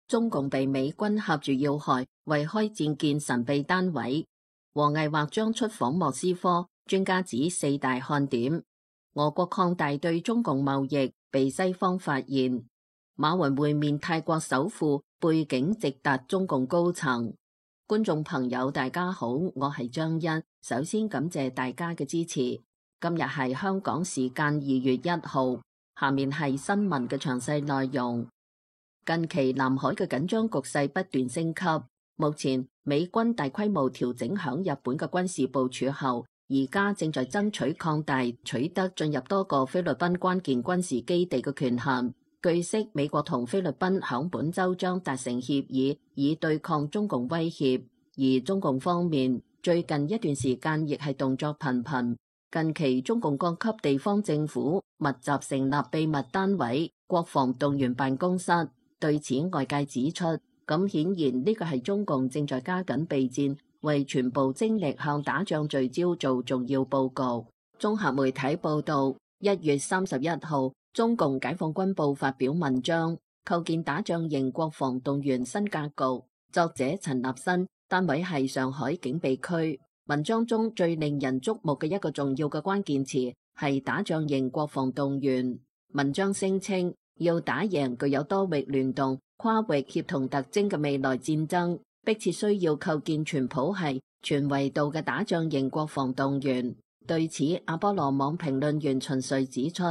中共被美軍挾住要害，為開戰建神秘單位。王毅或將出訪莫斯科，專家指四大看點。俄國擴大對中共貿易，被西方發現。馬雲會面泰國首富，背景直達中共高層。觀眾朋友大家好，我係張欣，首先感謝大家嘅支持。今日係香港時間2月1號，下面係新聞嘅詳細內容。近期南海嘅緊張局勢不斷升級，目前美軍大規模調整響日本嘅軍事部署後，而家正在爭取擴大取得進入多個菲律賓關鍵軍事基地嘅權限。據悉，美國同菲律賓響本週將達成協議，以對抗中共威脅。而中共方面最近一段時間亦係動作頻頻。近期中共各級地方政府密集成立秘密單位國防動員辦公室。對此，外界指出，咁顯然呢個係中共正在加緊備戰，為全部精力向打仗聚焦做重要佈局。綜合媒體報道，1月31號，中共解放軍報發表文章，構建打仗型國防動員新格局。作者陳立新，單位係上海警備區。文章中最令人矚目嘅一個重要嘅關鍵詞係打仗型國防動員。文章聲稱，要打贏具有多域聯動、跨域協同特徵嘅未來戰爭，迫切需要構建全譜系、全維度嘅打仗型國防動員。對此，阿波羅網評論員秦瑞指出，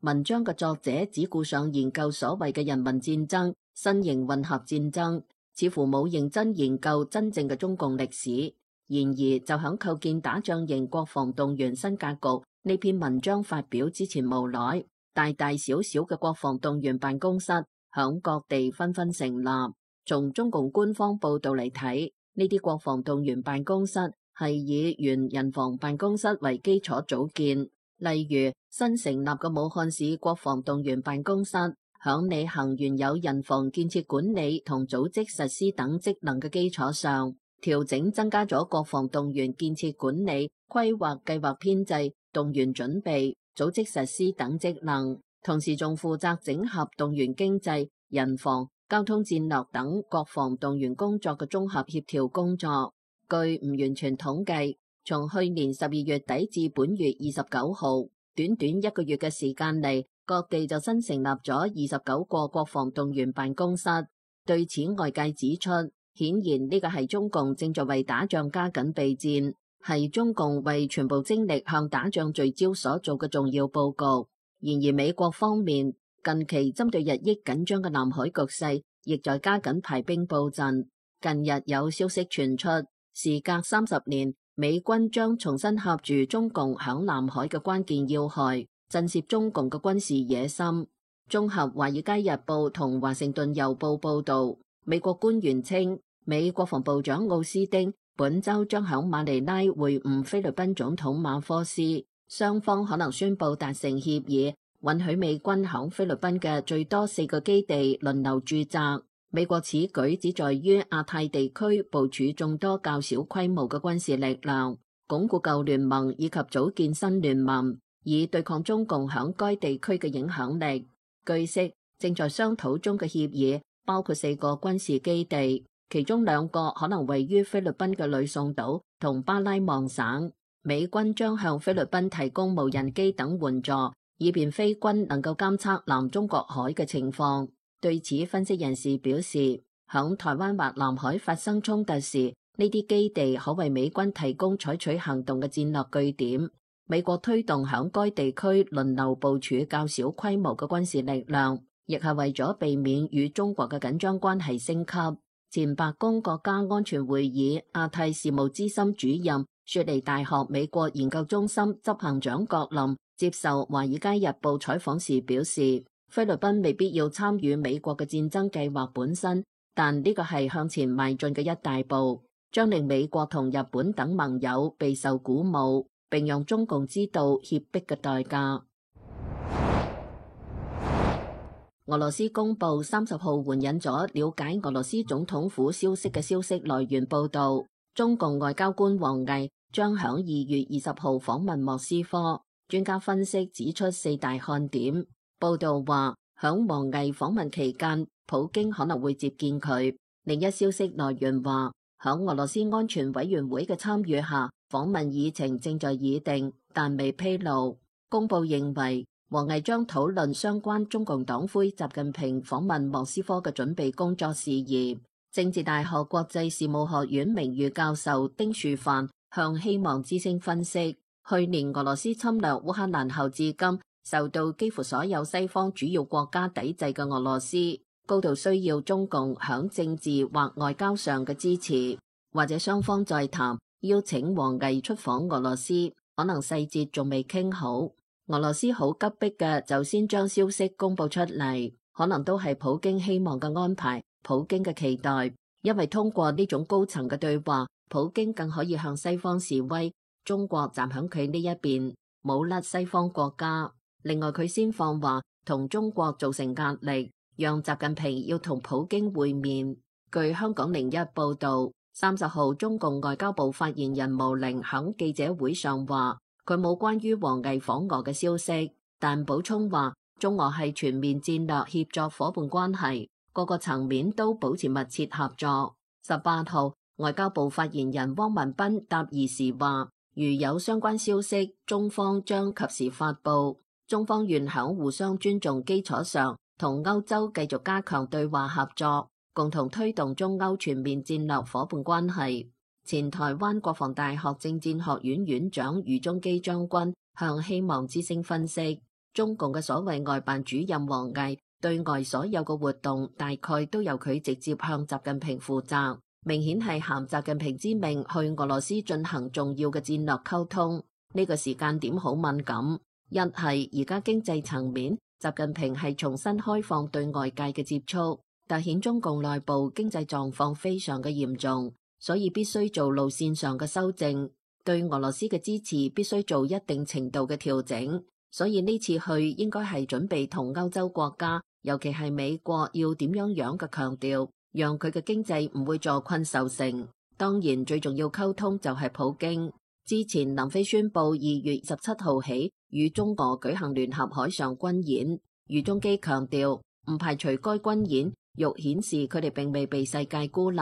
文章嘅作者只顧上研究所謂嘅人民戰爭、新型混合戰爭，似乎冇認真研究真正嘅中共歷史。然而，就響構建打仗型國防動員新格局呢篇文章發表之前無耐，大大小小嘅國防動員辦公室響各地紛紛成立。從中共官方報道嚟睇，呢啲國防動員辦公室係以原人防辦公室為基礎組建。例如，新成立嘅武漢市國防動員辦公室，響履行原有人防建設管理同組織實施等職能嘅基礎上，調整增加咗國防動員建設管理、規劃、計劃編制、動員準備、組織實施等職能，同時仲負責整合動員經濟、人防、交通戰略等國防動員工作嘅綜合協調工作。據唔完全統計，從去年12月底至本月29號，短短一個月嘅時間嚟，各地就新成立咗29個國防動員辦公室。對此，外界指出，顯然呢個係中共正在為打仗加緊備戰，係中共為全部精力向打仗聚焦所做嘅重要佈局。然而，美國方面近期針對日益緊張嘅南海局勢，亦在加緊排兵布陣。近日有消息傳出，時隔30年，美軍將重新挾住中共響南海嘅關鍵要害，震懾中共嘅軍事野心。綜合《華爾街日報》同《華盛頓郵報》報道，美國官員稱，美國防部長奧斯汀本週將響馬尼拉會晤菲律賓總統馬科斯，雙方可能宣布達成協議，允許美軍響菲律賓嘅最多4個基地輪流駐紮。美國此舉旨在於亞太地區部署眾多較小規模嘅軍事力量，鞏固舊聯盟以及組建新聯盟，以對抗中共響該地區嘅影響力。據悉，正在商討中嘅協議包括4個軍事基地，其中2個可能位於菲律賓嘅呂宋島同巴拉望省。美軍將向菲律賓提供無人機等援助，以便菲軍能夠監測南中國海嘅情況。對此，分析人士表示，響台灣或南海發生衝突時，呢啲基地可為美軍提供採取行動嘅戰略據點。美國推動響該地區輪流部署較小規模嘅軍事力量，亦係為咗避免與中國嘅緊張關係升級。前白宮國家安全會議亞太事務資深主任、雪梨大學美國研究中心執行長郭林接受《華爾街日報》採訪時表示，菲律賓未必要參與美國嘅戰爭計劃本身，但呢個係向前邁進嘅一大步，將令美國同日本等盟友備受鼓舞，並讓中共知道脅迫嘅代價。俄羅斯公佈30號援引咗了解俄羅斯總統府消息嘅消息來源報導，中共外交官王毅將響2月20號訪問莫斯科。專家分析指出4大看點。報道話，響王毅訪問期間，普京可能會接見佢。另一消息來源話，響俄羅斯安全委員會嘅參與下，訪問議程正在擬定，但未披露。公報認為，王毅將討論相關中共黨魁習近平訪問莫斯科嘅準備工作事宜。政治大學國際事務學院名譽教授丁樹範向希望之聲分析，去年俄羅斯侵略烏克蘭後至今，受到幾乎所有西方主要國家抵制嘅俄羅斯，高度需要中共響政治或外交上嘅支持，或者雙方再談，邀請王毅出訪俄羅斯，可能細節仲未傾好。俄羅斯好急迫嘅就先將消息公佈出嚟，可能都係普京希望嘅安排，普京嘅期待，因為通過呢種高層嘅對話，普京更可以向西方示威，中國站響佢呢一邊，冇甩西方國家。另外佢先放話同中國造成壓力，讓習近平要同普京會面。據香港01報道，30號中共外交部發言人毛寧響記者會上話，佢冇關於王毅訪俄嘅消息，但補充話中俄係全面戰略協作夥伴關係，各個層面都保持密切合作。18號外交部發言人汪文斌答疑時話，如有相關消息，中方將及時發布。中方願響互相尊重基礎上，同歐洲繼續加強對話合作，共同推動中歐全面戰略夥伴關係。前台灣國防大學政戰學院院長余宗基將軍向希望之聲分析，中共嘅所謂外辦主任王毅對外所有嘅活動大概都由佢直接向習近平負責，明顯係銜習近平之命去俄羅斯進行重要嘅戰略溝通。呢個時間點好敏感，一係而家經濟層面，習近平係重新開放對外界嘅接觸，凸顯中共內部經濟狀況非常嘅嚴重。所以必須做路線上嘅修正，對俄羅斯嘅支持必須做一定程度嘅調整。所以呢次去應該係準備同歐洲國家，尤其係美國要點樣嘅強調，讓佢嘅經濟唔會坐困受成。當然最重要溝通就係普京。之前南非宣布2月17號起與中俄舉行聯合海上軍演，余宗基強調唔排除該軍演欲顯示佢哋並未被世界孤立。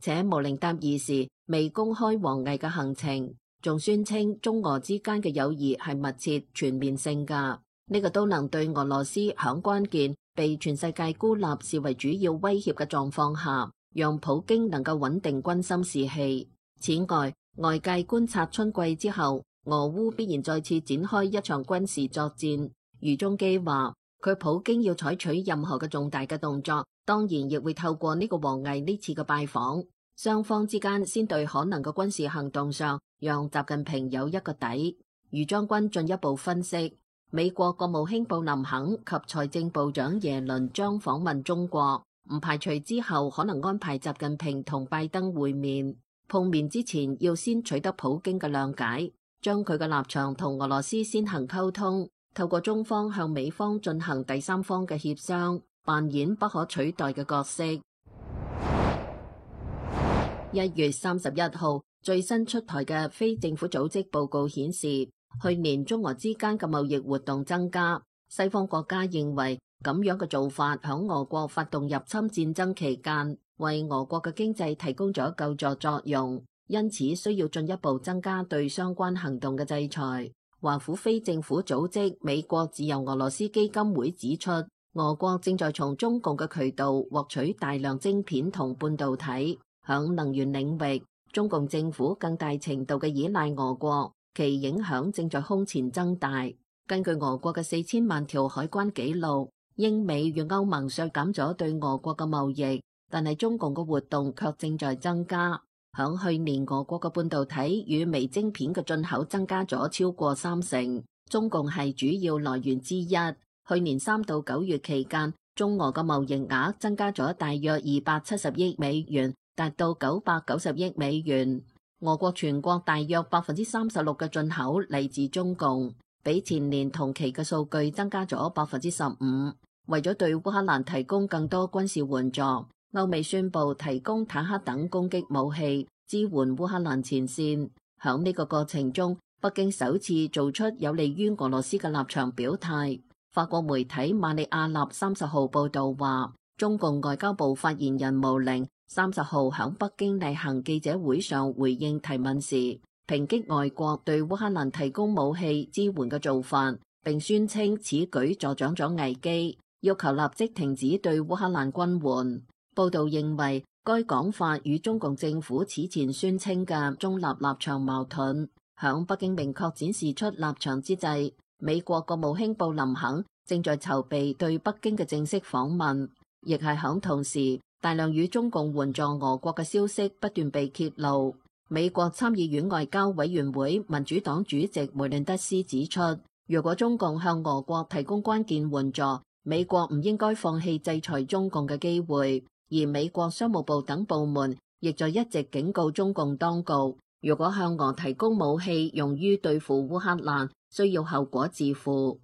且毛寧答疑時未公開王毅嘅行程，仲宣稱中俄之間嘅友誼係密切全面性㗎。呢個都能對俄羅斯響關鍵被全世界孤立視為主要威脅嘅狀況下，讓普京能夠穩定軍心士氣。此外，外界觀察春季之後，俄烏必然再次展開一場軍事作戰。余宗基話，佢普京要採取任何嘅重大嘅動作，當然亦會透過呢個王毅呢次嘅拜訪。雙方之間先對可能嘅軍事行動上，讓習近平有一個底。余將軍進一步分析，美國國務卿布林肯及財政部長耶倫將訪問中國，唔排除之後可能安排習近平同拜登會面。碰面之前要先取得普京嘅諒解，將佢嘅立場同俄羅斯先行溝通，透過中方向美方進行第三方嘅協商，扮演不可取代嘅角色。1月31號最新出台嘅非政府組織報告顯示，去年中俄之間嘅貿易活動增加。西方國家認為咁樣嘅做法響俄國發動入侵戰爭期間，為俄國嘅經濟提供咗救助作用，因此需要進一步增加對相關行動嘅制裁。華府非政府組織美國自由俄羅斯基金會指出，俄國正在從中共嘅渠道獲取大量晶片同半導體。響能源領域，中共政府更大程度嘅依賴俄國，其影響正在空前增大。根據俄國嘅4000萬條海關記錄，英美與歐盟削減咗對俄國嘅貿易，但係中共嘅活動卻正在增加。響去年，俄國嘅半導體與微晶片嘅進口增加咗超過30%，中共係主要來源之一。去年3到9月期間，中俄嘅貿易額增加咗大約270億美元。達到990億美元。俄國全國大約36%嘅進口嚟自中共，比前年同期嘅數據增加咗15%。為咗對烏克蘭提供更多軍事援助，歐美宣布提供坦克等攻擊武器，支援烏克蘭前線。響呢個過程中，北京首次做出有利於俄羅斯嘅立場表態。法國媒體馬里亞納30號報道話，中共外交部發言人毛寧30號喺北京例行記者會上回應提問時，抨擊外國對烏克蘭提供武器支援嘅做法，並宣稱此舉助長咗危機，要求立即停止對烏克蘭軍援。報道認為，該講法與中共政府此前宣稱嘅中立立場矛盾。響北京明確展示出立場之際，美國國務卿布林肯正在籌備對北京嘅正式訪問，亦係響同時，大量與中共援助俄國嘅消息不斷被揭露。美國參議院外交委員會民主黨主席梅倫德斯指出，如果中共向俄國提供關鍵援助，美國唔應該放棄制裁中共嘅機會。而美國商務部等部門亦在一直警告中共當局，如果向俄提供武器用於對付烏克蘭，需要後果自負。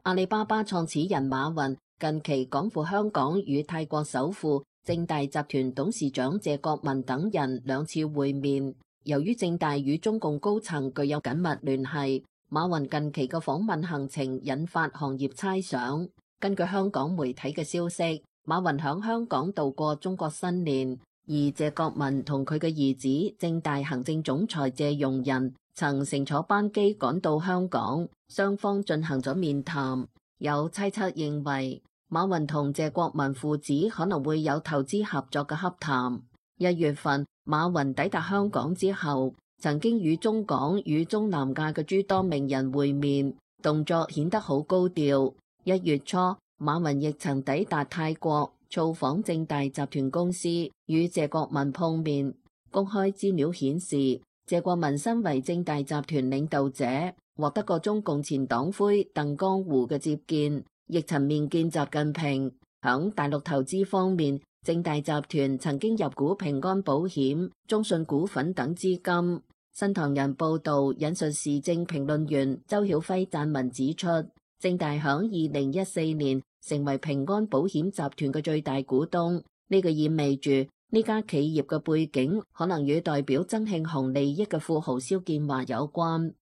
阿里巴巴創始人馬雲近期趕赴香港與泰國首富正大集團董事長謝國民等人2次會面。由於正大與中共高層具有緊密聯繫，馬雲近期嘅訪問行程引發行業猜想。根據香港媒體嘅消息，馬雲響香港度過中國新年，而謝國民同佢嘅兒子正大行政總裁謝容仁曾乘坐班機趕到香港，雙方進行咗面談。有猜測認為，馬雲同謝國民父子可能會有投資合作嘅洽談。1月份，馬雲抵達香港之後，曾經與中港與中南亞嘅諸多名人會面，動作顯得好高調。1月初，馬雲亦曾抵達泰國，造訪正大集團公司，與謝國民碰面。公開資料顯示，謝國民身為正大集團領導者，獲得過中共前黨魁鄧江湖嘅接見，亦曾面見習近平。響大陸投資方面，正大集團曾經入股平安保險、中信股份等資金。新唐人報道引述時政評論員周曉輝撰文指出，正大響2014年成為平安保險集團嘅最大股東，呢個意味住呢家企業嘅背景可能與代表曾慶紅利益嘅富豪蕭建華有關。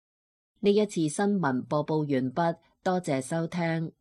呢一次新聞播報完畢，多謝收聽。